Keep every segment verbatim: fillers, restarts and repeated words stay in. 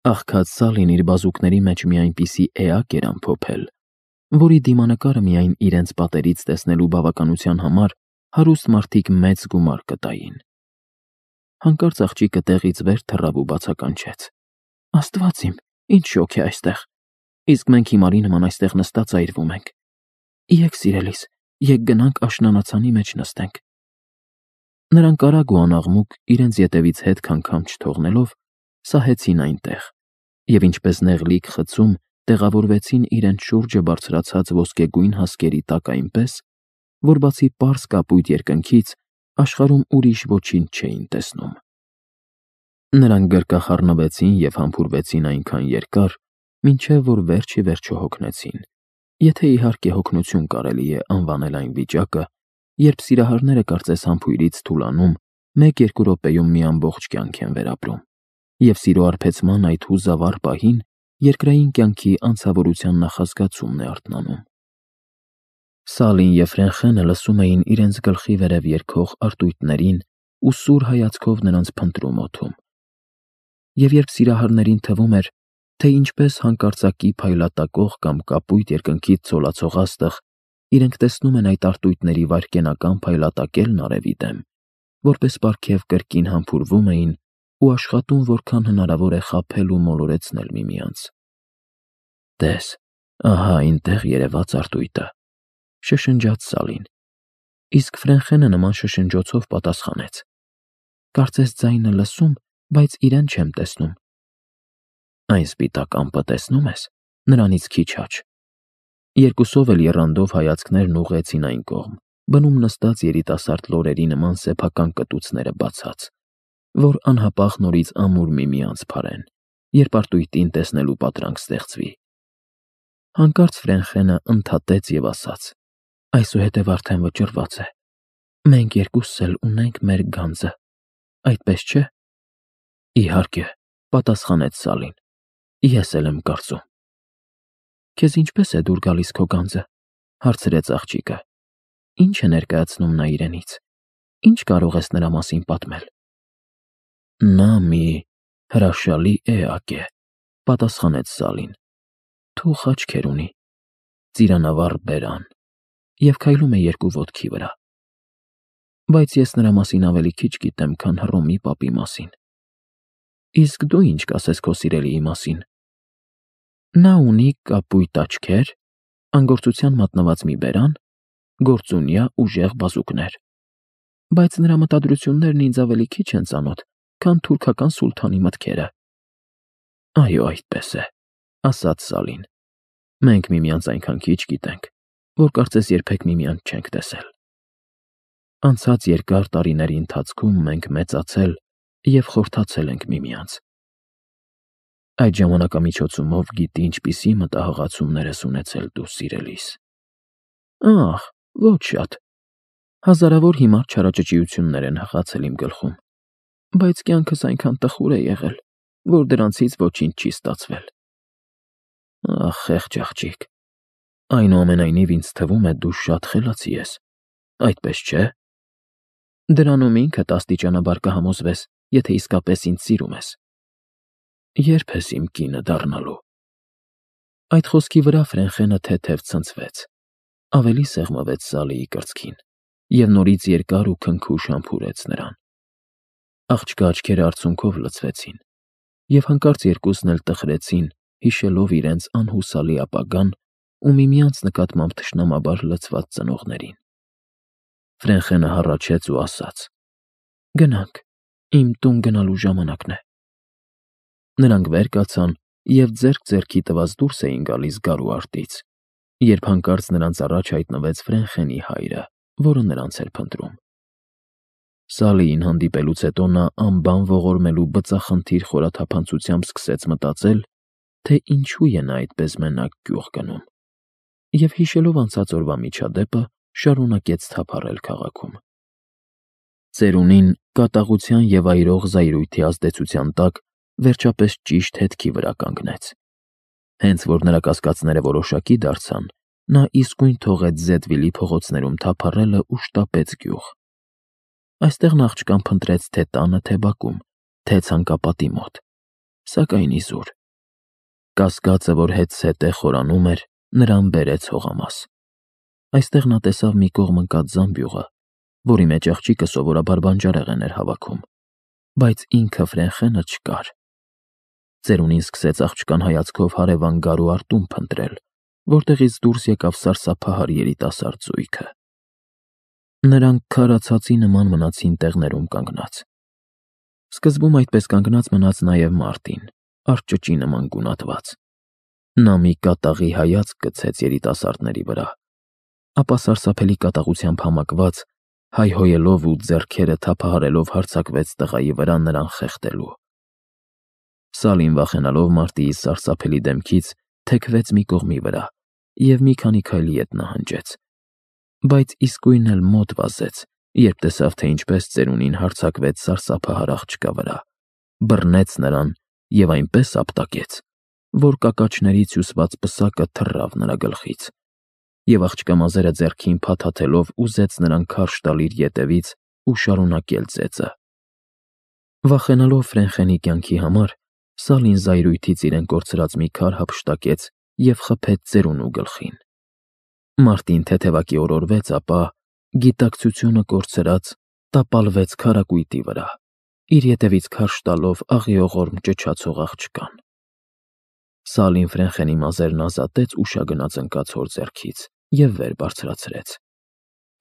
Աղքատ Սալին իր բազուկների մեջ մի այնպիսի էակ էր ամփոփել, որի դիմանկարը միայն իրենց պատերից տեսնելու բավականության համար հարուստ մարդիկ մեծ գումար կտային։ Հանկարծ աղջիկը տեղից վեր թռավ ու բացականչեց. «Աստված իմ, ինչ շոգ է այստեղ, իսկ մենք հիմարի նման այստեղ նստած այրվում ենք։ Եկ, սիրելիս, եկ գնանք աշնանացանի մեջ նստենք»։ Նրանք արագ ու անաղմուկ, իրենց ետևից հետ քանգամ չթողնելով, սահեցին այնտեղ և ինչպես նեղլիկ խցում տեղավորվեցին իրենց շուրջը բարձրացած ոսկեգույն հասկերի տակ այնպես, որ բացի պարզ կապույտ երկնքից աշխարհում ուրիշ ոչինչ չէին տեսնում։ Նրանք գրկախառնվեցին և համբուրվեցին այնքան երկար, մինչև որ վերջ ի վերջո հոգնեցին, եթե իհարկե հոգնություն կարելի է անվանել այն վիճակը, երբ սիրահարները կարծես համբույրից թուլանում, մեկ-երկու րոպեում մի ամբողջ կյանք են վերապրում, և սիրո արբեցման այդ հուզավառ պահին երկրային կյանքի անցավորության նախազգացումն է արթնանում։ Սալին և Ֆրենխենը լսում էին իրենց գլխի վերև երգող արտույտներին ու սուր հայացքով նրանց փնտրում օդում։ Եվ երբ սիրահարներին թվում էր, թե ինչպես հանկարծակի փայլատակող կամ կապույտ երկնքից ցոլացող աստղ, իրենք տեսնում են այդ արտույտների վայրկենական փայլատակելն արևի դեմ, որպես պարգև կրկին համբուրվում էին ու աշխատում որքան հնարավոր է խաբել ու մոլորեցնել միմյանց։ «Տես, ահա այնտեղ երևաց արտույտը», շշնջաց Սալին, իսկ Ֆրենխենը նման շշնջոցով պատասխանեց. «Կարծես ձայնը լսում, բայց իրեն չեմ տեսնում»։ «Այն սպիտակ ամպը տեսնում ես, նրանից քիչ աջ»։ Երկուսով էլ եռանդով հայացքներն ուղղեցին այն կողմ, բնում նստած երիտասարդ լորերի նման սեփական կտուցները բացած, որ անհապաղ նորից ամուր միմյանց փարեն, երբ արտույտին տեսնելու պատրանք ստեղծվի։ Հանկարծ Ֆրենխենը ընդհատեց և ասաց. «Այսուհետև արդեն վճռված է։ Մենք երկուսս էլ ունենք մեր գանձը, այդպես չէ»։ «Իհարկե», պատասխանեց Սալին, «ես էլ եմ կարծում»։ «Քեզ ինչպես է դուր գալիս քո գանձը»։ Հարցրեց աղջիկը։ «Ինչ է ներկայացնում նա իրենից, ինչ կարող ես նրա մասին պատմել»։ «Նա մի հրաշալի էակ է», պատասխանեց Սալին։ «Թուխ աչքեր ունի, ծիրանավառ բերան և քայլում է երկու ոտքի վրա։ Բայց ես նրա մասին ավելի քիչ գիտեմ, քան Հռոմի պապի մասին։ Իսկ դու ինչ կասես քո սիրելիի մասին»։ «Նա ունի կապույտ աչքեր, անգործության մատնված մի բերան, գործունյա ուժեղ բազուկներ, բայց նրա մտադրություններն ինձ ավելի քիչ են ծանոթ, քան թուրքական սուլթանի մտքերը»։ «Այո, այդպես է», ասաց Սալին։ «Մենք միմյանց այնքան քիչ գիտենք, որ կարծես երբեք միմյանց չենք տեսել։ Անցած երկար տարիների ընթացքում մենք մեծացել և խորթացել ենք միմյանց։ Այդ ժամանակամիջոցումով գիտի ինչպիսի մտահղացումներ ես ունեցել դու, սիրելիս»։ «Ախ, ոչ շատ։ Հազարավոր հիմար չարաճճիություններ են հղացել իմ գլխում, բայց կյանքս այնքան տխուր է եղել, որ դրանցից ոչինչ չի ստացվել»։ «Ախ, խեղճ աղջիկ, այնուամենայնիվ ինձ թվում է դու շատ խելացի ես, այդպես չէ՞։ Դրանում ինքդ աստիճանաբար կհամոզվես, եթե իսկապես ինձ սիրում ես։ Ե՞րբ ես իմ կինը դառնալու»։ Այդ խոսքի վրա Ֆրենխենը թեթև ցնցվեց, ավելի սեղմվեց Սալիի կրծքին և նորից երկար ու քնքուշ համբուրեց նրան։ Աղջկա աչքերը արցունքով լցվեցին, և հանկարծ երկուսն էլ տխրեցին, հիշելով իրենց անհուսալի ապագան ու միմյանց նկատմամբ թշնամաբար լցված ծնողներին։ Ֆրենխենը հառաչեց ու ասաց. «Գնանք, իմ տուն գնալու ժամանակն է»։ Նրանք վեր կացան և ձեռք ձեռքի տված դուրս էին գալիս գարու արտից, երբ հանկարծ նրանց առաջ հայտնվեց Ֆրենխենի հայրը, որը նրանց էր փնտրում։ Սալիին հանդիպելուց հետո նա անբան ողորմելու բծախնդիր խորաթափանցությամբ սկսեց մտածել, թե ինչու է նա այդպես մենակ գյուղ գնում, և հիշելով անցած օրվա միջադեպը, շարունակեց թափառել քաղաքում։ Ծերունին կատաղության և այրող զայրույթի ազդեցության տակ վերջապես ճիշտ հետքի վրա կանգնեց։ Հենց որ նրա կասկածները որոշակի դարձան, նա իսկույն թողեց Զեդվիլի փողոցներում թափառելը ու շտապեց գյուղ։ Այստեղ նա աղջկան փնտրեց թե տանը, թե բակում, թե ցանկապատի մոտ, սակայն իզուր։ Կասկածը, որ հետզհետե խորանում էր, նրան բերեց հողամաս։ Այստեղ նա տեսավ մի կողմ ընկած զամբյուղը, որի մեջ աղջիկը սովորաբար բանջարեղեն էր հավաքում, բայց ինքը Ֆրենխենը չկար։ Ծերունին սկսեց աղջկան հայացքով հարևան գարու արտում փնտրել, որտեղից դուրս եկավ սարսափահար երիտասարդ զույգը։ Նրանք քարացածի նման մնացին տեղներում կանգնած։ Սկզբում այդպես կանգնած մնաց նաև Մարտին, արճճի նման գունատված։ Նա մի կատաղի հայացք գցեց երիտասարդների վրա, ապա սարսափելի կատաղությամբ համակված, հայհոյելով ու ձեռքերը թափահարելով հարձակվեց տղայի վրա նրան խեղդելու։ Սալին, վախենալով Մարտիի սարսափելի դեմքից, թեքվեց մի կողմի վրա և մի քանի քայլի ետ նահանջեց, բայց իսկույն էլ մոտ վազեց, երբ տեսավ, թե ինչպես ծերունին հարձակվեց սարսափահար աղջկա վրա, բռնեց նրան և այնպես ապտակեց, որ կակաչներից հյուսված պսակը թռավ նրա գլխից, և աղջկա մազերը ձեռքին փաթաթելով ուզեց նրան քարշ տալ իր ետևից ու շարունակել ծեծը։ Վախենալով Ֆրենխենի կյանքի համար, Սալին զայրույթից իրեն կորցրած մի քար հափշտակեց և խփեց ծերունու գլխին։ Մարտին թեթևակի օրորվեց, ապա, գիտակցությունը կորցրած, տապալվեց քարակույտի վրա, իր ետևից քարշ տալով աղիողորմ ճչացող աղջկան։ Սալին Ֆրենխենի մազերն ազատեց ուշագնաց ընկած հոր ձեռքից և վեր բարձրացրեց։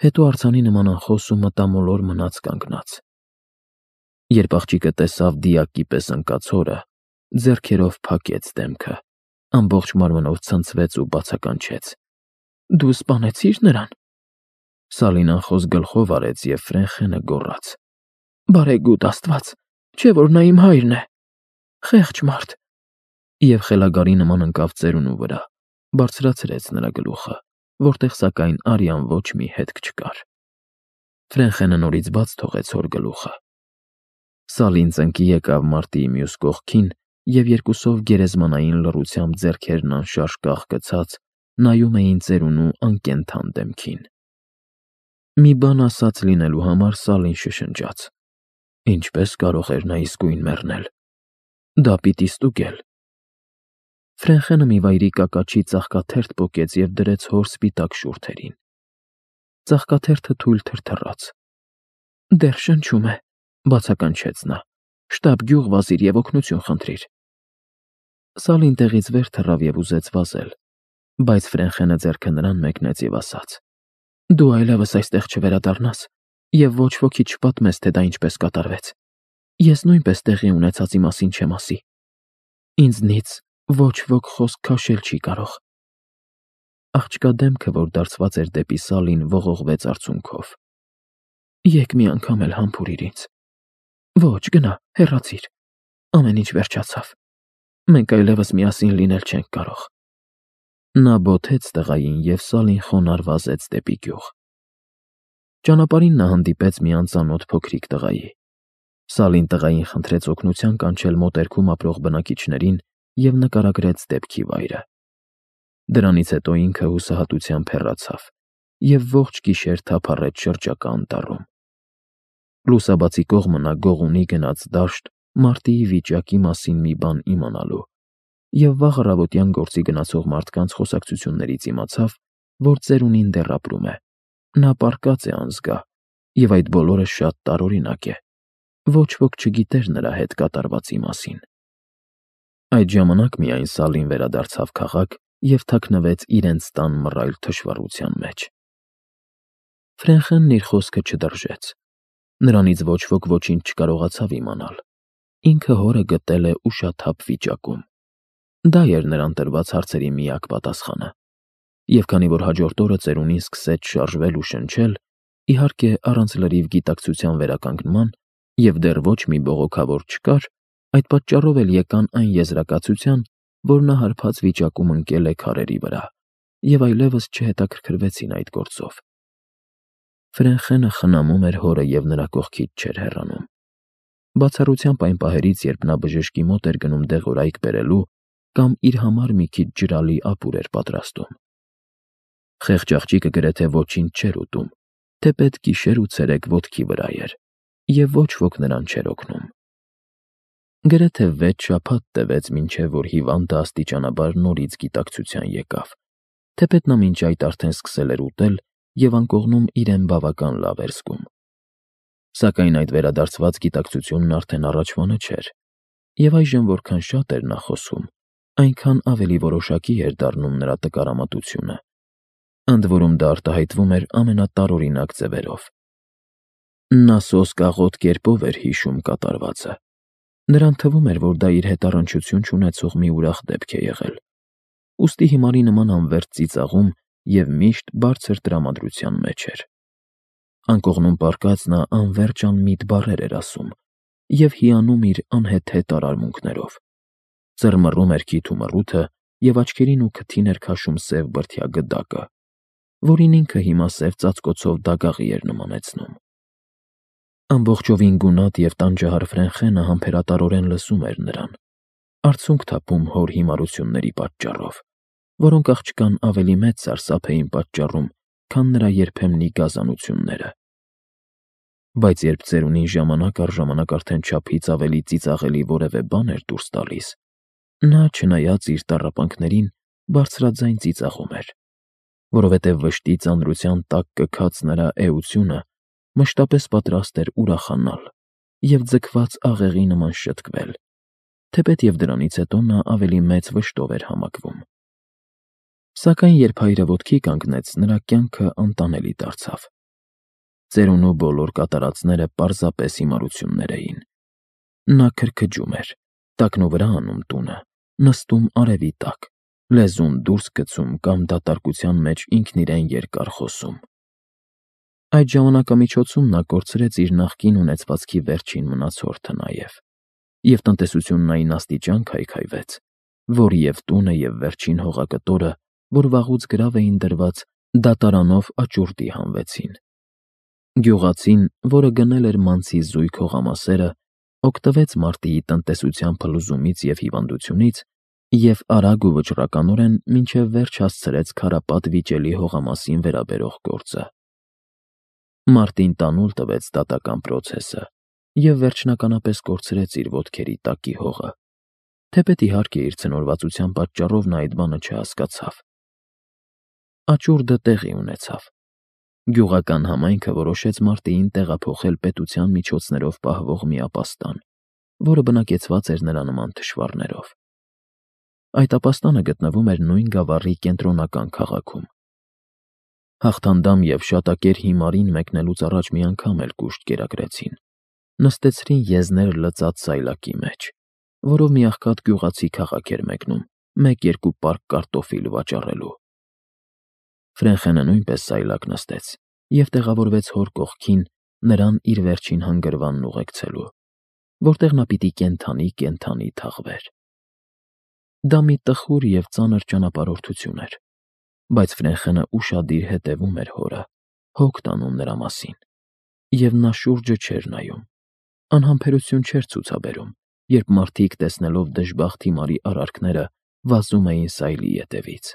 Հետո արձանի նման անխոս ու մտամոլոր մնաց կանգնած։ Երբ աղջիկը տեսավ դիակի պես ընկած հորը, ձեռքերով փակեց դեմքը, ամբողջ մարմնով ցնցվեց ու բացականչեց. «Դու սպանեցի՞ր նրան»։ Սալին անխոս գլխով արեց, և Ֆրենխենը գոռաց. «Բարեգութ Աստված, չէ՞ որ նա իմ հայրն է։ Խեղճ մարդ»։ Եվ խելագարի նման ընկավ ծերունու վրա, բարձրացրեց նրա գլուխը, որտեղ սակայն արյան ոչ մի հետք չկար։ Ֆրենխենը նորից բաց թողեց հոր գլուխը։ Սալին ծնկի եկավ Մարտիի մյուս կողքին և երկուսով գերեզմանային լռությամբ ձեռքերն անշարժ կախկցած նայում էին ծերունու անկենդան դեմքին։ Մի բան ասած լինելու համար Սալին շշնջաց. ինչպես կարող էր նա իսկույն մեռնել։ Դա պիտի ստուգել։ Ֆրենխենը մի վայրի կակաչի ծաղկաթերթ պոկեց և դրեց հոր սպիտակ շուրթերին։ Ծաղկաթերթը թույլ թրթռաց։ «Դեռ շնչում է», բացականչեց նա։ «Շտապ գյուղ վազիր և օգնություն խնդրիր»։ Սալին տեղից վեր թռավ և ուզեց վազել, բայց Ֆրենխենը ձեռքը նրան մեկնեց և ասաց. «Դու այլևս այստեղ չվերադառնաս և ոչ ոքի չպատմես, թե դա ինչպես կատարվեց։ Ես նույնպես տեղի ունեցածի մասին չեմ ասի։ Ինձնից ոչ ոք խոսք քաշել չի կարող»։ Աղջկա դեմքը, որ դարձված էր դեպի Սալին, ողողվեց արցունքով։ «Եկ մի անգամ էլ համբուրիր ինձ»։ «Ոչ, գնա, հեռացիր։ Ամեն ինչ վերջացավ։ Մենք այլևս միասին լինել չենք կարող»։ Նա բոթեց տղային, և Սալին խոնարհ վազեց դեպի գյուղ։ Ճանապարհին նա հանդիպեց մի անծանոթ փոքրիկ տղայի։ Սալին տղային խնդրեց օգնության կանչել մոտերքում ապրող բնակիչներին և նկարագրեց դեպքի վայրը։ Դրանից հետո ինքը հուսահատությամբ հեռացավ և ողջ գիշեր թափառեց շրջակա անտառում։ Լուսաբացի կողմը նա գողունի գնաց դաշտ Մարտիի վիճակի մասին մի բան իմանալու և վաղ առավոտյան գործի գնացող մարդկանց խոսակցություններից իմացավ, որ ծերունին դեռ ապրում է։ Նա պառկած է անզգա, և այդ բոլորը շատ տարօրինակ է։ Ոչ ոք չգիտեր նրա հետ կատարվածի մասին։ Այդ ժամանակ միայն Սալին վերադարձավ քաղաք և թաքնվեց իրենց տան մռայլ թշվառության մեջ։ Ֆրենխենն իր խոսքը չդրժեց։ Նրանից ոչ ոք ոչինչ չկարողացավ իմանալ։ Ինքը հորը գտել է ուշաթափ վիճակում։ Դա էր նրան տրված հարցերի միակ պատասխանը։ Եվ քանի որ հաջորդ օրը ծերունին սկսեց շարժվել ու շնչել, իհարկե առանց լրիվ գիտակցության վերականգնման, և դեռ ոչ մի բողոքավոր չկար, այդ պատճառով էլ եկան այն եզրակացության, որ նա հարբած վիճակում ընկել է քարերի վրա, և այլևս չհետաքրքրվեցին այդ գործով։ Ֆրենխենը խնամում էր հորը և նրա կողքից չէր հեռանում։ Բացառությամբ այն պահերից, երբ նա բժշկի մոտ էր գնում դեղորայք բերելու կամ իր համար մի քիչ ջրալի ապուր էր պատրաստում։ Խեղճ աղջիկը գրեթե ոչինչ չէր ուտում, թեպետ գիշեր ու ցերեկ ոտքի վրա էր, և ոչ ոք նրան չէր օգնում։ Գրեթե վեց շաբաթ տևեց, մինչև որ հիվանդը աստիճանաբար նորից գիտակցության եկավ, թեպետ նա մինչ այդ արդեն սկսել էր ուտել և անկողնում իրեն բավական լավ էր զգում։ Սակայն այդ վերադարձված գիտակցությունն արդեն առաջվանը չէր, և այժմ որքան շատ էր նա խոսում, այնքան ավելի որոշակի էր դառնում նրա տկարամատությունը, ընդ որում դա արտահայտվում էր ամենատարօրինակ ձևերով։ Նա սոսկաղոտ կերպով էր հիշում կատարվածը։ Նրան թվում էր, որ դա իր հետ առնչություն չունեցող մի ուրախ դեպք է եղել, ուստի հիմարի նման անվերջ ծիծաղում և միշտ բարձր տրամադրության մեջ էր։ Անկողնում պառկած նա անվերջ անմիտ բառեր էր ասում և հիանում իր անհեթեթ արարմունքներով, ծռմռում էր քիթ ու մռութը և աչքերին ու քթին էր քաշում սև բրդյա գդակը, որին ինքը հիմա սև ծածկոցով դագաղի էր նմանեցնում։ Ամբողջովին գունատ և տանջահար Ֆրենխենը համբերատարորեն լսում էր նրան, արցունք թափում հոր հիմարությունների պատճառով, որոնք աղջկան ավելի մեծ սարսափ էին պատճառում, քան նրա երբեմնի գազանությունները։ Բայց երբ ծերունին ժամանակ առ ժամանակ արդեն չափից ավելի ծիծաղելի որևէ բան էր դուրս տալիս, նա, չնայած իր տառապանքներին, բարձրաձայն ծիծաղում էր, որովհետև վշտի ծանրության տակ կքած նրա էությունը մշտապես պատրաստ էր ուրախանալ և ձգված աղեղի նման շտկվել, թեպետ և դրանից հետո նա ավելի մեծ վշտով էր համակվում։ Սակայն երբ հայրը ոտքի կանգնեց, նրա կյանքը անտանելի դարձավ։ Ծերունու բոլոր կատարածները պարզապես հիմարություններ էին։ Նա քրքջում էր, տակնուվրա անում տունը, նստում արևի տակ, լեզուն դուրս գցում կամ դատարկության մեջ ինքն իրեն երկար խոսում։ Այդ ժամանակամիջոցում նա կորցրեց իր նախկին ունեցվածքի վերջին մնացորդը նաև, և տնտեսությունն այն աստիճան քայքայվեց, որ և տունը, և վերջին հողակտորը, որ վաղուց գրավ էին դրված, դատարանով աճուրդի հանվեցին։ Գյուղացին, որը գնել էր մանցի զույգ հողամասերը, օգտվեց մարտիի տնտեսության փլուզումից և հիվանդությունից և արագ ու վճռականորեն մինչև վերջ հասցրեց քարապատ վիճելի հողամասին վերաբերող գործը։ Մարտին տանուլ տվեց դատական պրոցեսը և վերջնականապես կորցրեց իր ոտքերի տակի հողը, թեպետ իհարկե իր ցնորվածության պատճառով նա այդ բանը չհասկացավ։ Աճուրդը տեղի ունեցավ։ Գյուղական համայնքը որոշեց մարտիին տեղափոխել պետության միջոցներով պահվող մի ապաստան, որը բնակեցված էր նրա նման թշվառներով։ Այդ ապաստանը գտնվում էր նույն գավառի կենտրոնական քաղաքում։ Հաղթանդամ և շատակեր հիմարին մեկնելուց առաջ մի անգամ էլ կուշտ կերակրեցին, նստեցրին եզներ լծած սայլակի մեջ, որով մի աղքատ գյուղացի քաղաք էր մեկնում մեկ֊երկու պարկ կարտոֆիլ վաճառելու։ Ֆրենխենը նույնպես սայլակ նստեց և տեղավորվեց հոր կողքին, նրան իր վերջին հանգրվանն ուղեկցելու, որտեղ նա պիտի կենդանի֊կենդանի թաղվեր։ Դա մի տխուր և ծանր ճանապարհորդություն էր, բայց Ֆրենխենը ուշադիր հետևում էր հորը, հոգ տանում նրա մասին, և նա շուրջը չէր նայում, անհամբերություն չէր ցուցաբերում, երբ մարդիկ, տեսնելով դժբախտ հիմարի արարքները, վազում էին սայլի ետևից։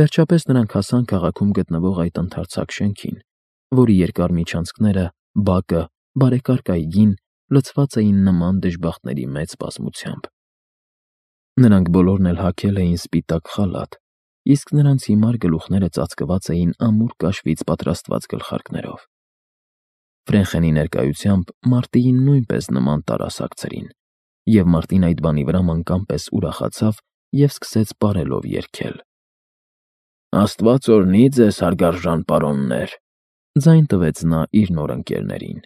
Վերջապես նրանք հասան քաղաքում գտնվող այդ ընդարձակ շենքին, որի երկար միջանցքները, բակը, բարեկարգ այգին լցված էին նման դժբախտների մեծ բազմությամբ։ Նրանք բոլորն էլ հագել էին սպիտակ խալաթ, իսկ նրանց հիմար գլուխները ծածկված էին ամուր կաշվից պատրաստված գլխարկներով։ Ֆրենխենի ներկայությամբ մարտիին նույնպես նման տարասակցրին, և մարտին այդ բանի վրա մանկան պես ուրախացավ և սկսեց պարելով երգել. «Աստված օրհնի ձեզ, հարգարժան պարոններ», ձայն տվեց նա իր նոր ընկերներին։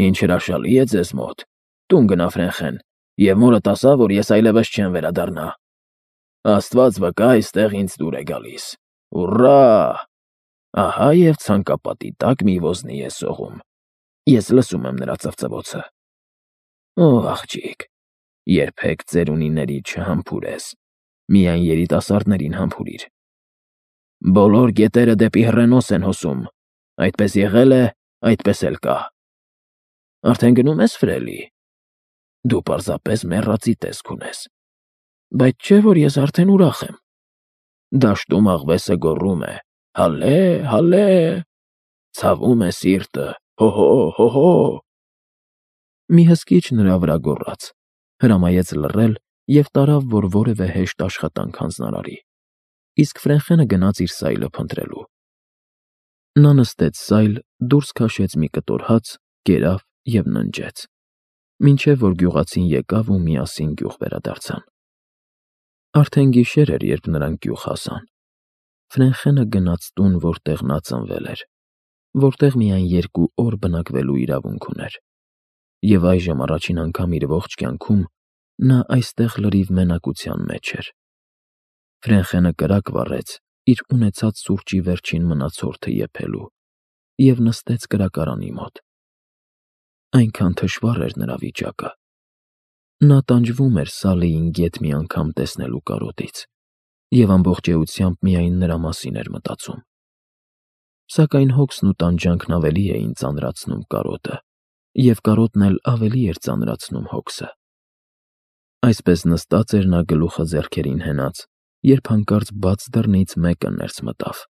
«Ինչ հրաշալի է ձեզ մոտ։ Տուն գնա, Ֆրենխեն, և մորդ ասա, որ ես այլևս չեմ վերադառնա։ Աստված վկա, այստեղ ինձ դուր է գալիս։ Ուռա՜։ Ահա և ցանկապատի տակ մի ոզնի է սողում։ Ես լսում եմ նրա ծվծվոցը։ Ով աղջիկ, երբեք ծերունիների չհամբուրես, միայն երիտասարդներին համբուրիր։ Բոլոր գետերը դեպի հռենոս են հոսում, այդպես եղել է, այդպես էլ կա։ Արդեն գնում ես, Ֆրելի։ Դու պարզապես մեռածի տեսք ունես, բայց չէ՞ որ ես արդեն ուրախ եմ։ Դաշտում աղվեսը գոռում է. «Հալե, հալե», ցավում է սիրտը. «Հո՛հո, հո՛հո»։ Մի հսկիչ նրա վրա գոռաց, հրամայեց լռել և տարավ, որ որևէ հեշտ աշխատանք հանձնարարի, իսկ Ֆրենխենը գնաց իր սայլը փնտրելու։ Նա նստեց սայլ, դուրս քաշեց մի կտոր հաց, կերավ և ննջեց, մինչև որ գյուղացին եկավ ու միասին գյուղ վերադարձան։ Արդեն գիշեր էր, երբ նրանք գյուղ հասան։ Ֆրենխենը գնաց տուն, որտեղ նա ծնվել էր, որտեղ միայն երկու օր բնակվելու իրավունք ուներ, և այժմ առաջին անգամ իր ողջ կյանքում նա այստեղ լրիվ մենակության մեջ էր։ Ֆրենխենը կրակ վառեց իր ունեցած սուրճի վերջին մնացորդը եփելու և նստեց կրակարանի մոտ։ Այնքան թշվառ էր նրա վիճակը։ Նա տանջվում էր Սալիին գեթ մի անգամ տեսնելու կարոտից և ամբողջ էությամբ միայն նրա մասին էր մտածում։ Սակայն հոգսն ու տանջանքն ավելի էին ծանրացնում կարոտը, և կարոտն էլ ավելի էր ծանրացնում հոգսը։ Այսպես նստած էր նա գլուխը ձեռքերին հենած, երբ հանկարծ բաց դռնից մեկը ներս մտավ։